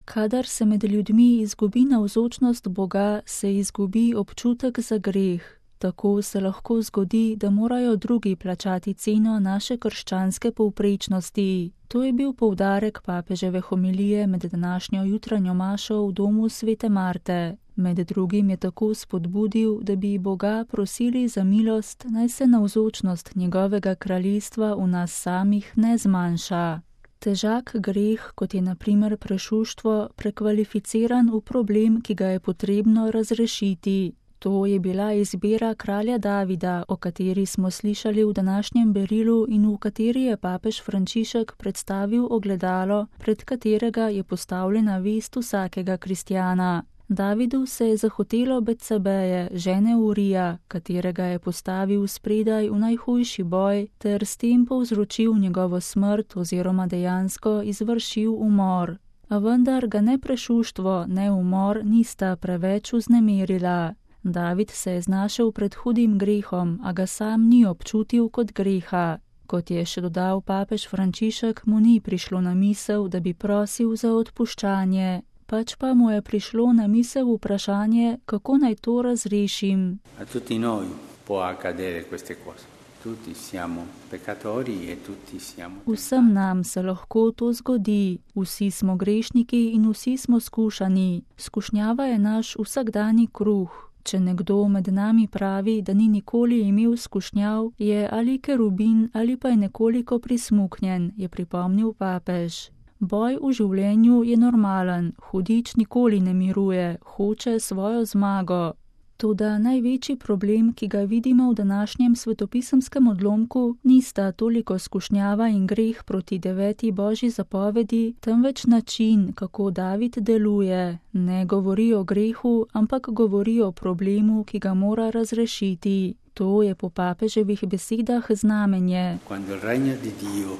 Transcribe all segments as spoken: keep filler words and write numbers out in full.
Kadar se med ljudmi izgubi navzočnost Boga, se izgubi občutek za greh. Tako se lahko zgodi, da morajo drugi plačati ceno naše krščanske povprečnosti. To je bil poudarek papeževe homilije med današnjo jutranjo mašo v domu svete Marte. Med drugim je tako spodbudil, da bi Boga prosili za milost, naj se navzočnost njegovega kraljestva v nas samih ne zmanjša. Težak greh, kot je na primer prešuštvo, prekvalificiran v problem, ki ga je potrebno razrešiti. To je bila izbira kralja Davida, o kateri smo slišali v današnjem berilu in v kateri je papež Frančišek predstavil ogledalo, pred katerega je postavljena vest vsakega kristjana. Davidu se je zahotelo Betsabeje, žene Urija, katerega je postavil spredaj v najhujši boj, ter s tem povzročil njegovo smrt oziroma dejansko izvršil umor. A vendar ga ne prešuštvo, ne umor nista preveč vznemirila. David se je znašel pred hudim grehom, a ga sam ni občutil kot greha. Kot je še dodal papež Frančišek, mu ni prišlo na misel, da bi prosil za odpuščanje. Pač pa mu je prišlo na misel vprašanje, kako naj to razrešim. A tutti noi può accadere queste cose. Tutti siamo peccatori e tutti siamo tentati. Vsem nam se lahko to zgodi. Vsi smo grešniki in vsi smo skušani. Skušnjava je naš vsakdani kruh. Če nekdo med nami pravi, da ni nikoli imel skušnjav, je ali kerubin ali pa je nekoliko prismuknjen, je pripomnil papež. Boj v življenju je normalen, hudič nikoli ne miruje, hoče svojo zmago. Toda največji problem, ki ga vidimo v današnjem svetopisemskem odlomku, nista toliko skušnjava in greh proti deveti božji zapovedi, temveč način, kako David deluje. Ne govori o grehu, ampak govori o problemu, ki ga mora razrešiti. To je po papeževih besedah znamenje. Quando il regno di Dio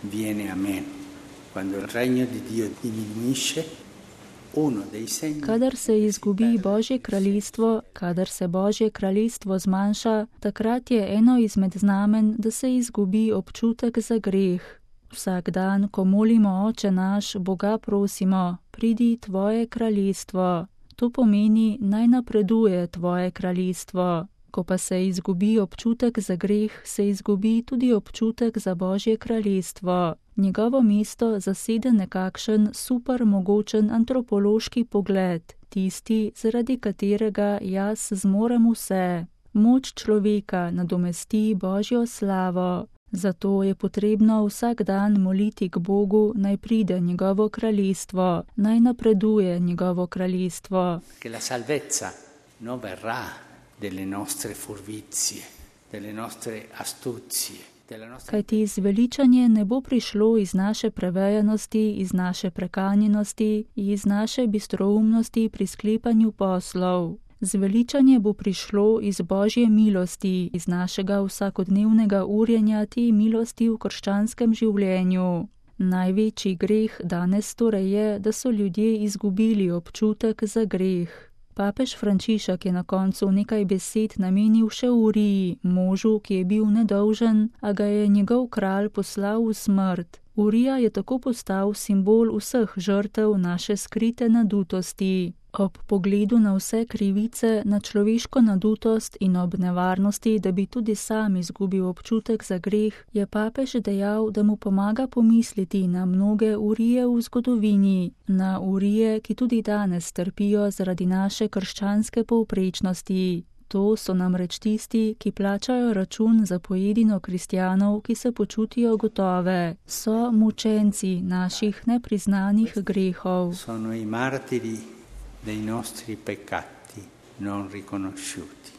viene a me, quando il regno di Dio diminuisce, Kadar se izgubi Božje kraljestvo, kadar se Božje kraljestvo zmanjša, takrat je eno izmed znamen, da se izgubi občutek za greh. Vsak dan, ko molimo Oče naš, Boga prosimo, pridi tvoje kraljestvo. To pomeni, naj napreduje tvoje kraljestvo. Ko pa se izgubi občutek za greh, se izgubi tudi občutek za Božje kraljestvo. Njegovo mesto zasede nekakšen super mogočen antropološki pogled, tisti, zaradi katerega jaz zmorem vse. Moč človeka nadomesti Božjo slavo. Zato je potrebno vsak dan moliti k Bogu, naj pride njegovo kraljestvo, naj napreduje njegovo kraljestvo. Che la salvezza non verrà delle nostre furbizie, delle nostre astuzie. Kajti zveličanje ne bo prišlo iz naše prevejanosti, iz naše prekanjenosti, iz naše bistroumnosti pri sklepanju poslov. Zveličanje bo prišlo iz Božje milosti, iz našega vsakodnevnega urjenja te milosti v krščanskem življenju. Največji greh danes torej je, da so ljudje izgubili občutek za greh. Papež Frančišek je na koncu nekaj besed namenil še Uriji, možu, ki je bil nedolžen, a ga je njegov kralj poslal v smrt. Urija je tako postal simbol vseh žrtev naše skrite nadutosti. Ob pogledu na vse krivice, na človeško nadutost in ob nevarnosti, da bi tudi sam izgubil občutek za greh, je papež dejal, da mu pomaga pomisliti na mnoge Urije v zgodovini, na Urije, ki tudi danes trpijo zaradi naše krščanske povprečnosti. To so namreč tisti, ki plačajo račun za pojedino kristjanov, ki se počutijo gotove. So mučenci naših nepriznanih grehov. Sono i martiri dei nostri peccati non riconosciuti.